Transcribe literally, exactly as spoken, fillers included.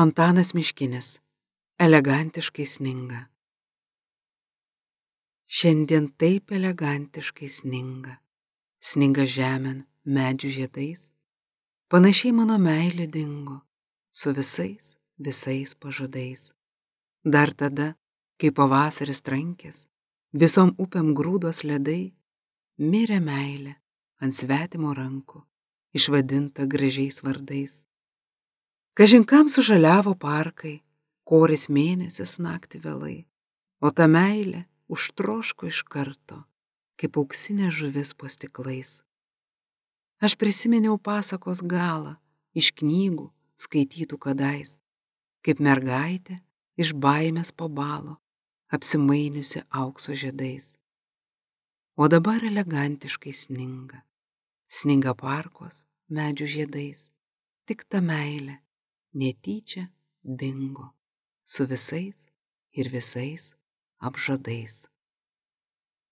Antanas Miškinis. Elegantiškai sninga. Šiandien taip elegantiškai sninga. Sninga žemėn medžių žiedais. Panašiai mano meilė dingo su visais, visais pažadais. Dar tada, kai pavasaris trankės, visom upėm grūdos ledai, mirė meilė ant svetimo rankų, išvadinta gražiais vardais. Kažin kam sužaliavo parkai, koris mėnesis naktį vėlai, o ta meilė užtroško iš karto, kaip auksinė žuvis po stiklais. Aš prisiminiau pasakos galą iš knygų skaitytų kadais, kaip mergaitė iš baimės po balo, apsimainiusi aukso žiedais. O dabar elegantiškai sninga, sninga parkos medžių žiedais, tik ta meilė netyčia dingo su visais ir visais apžadais.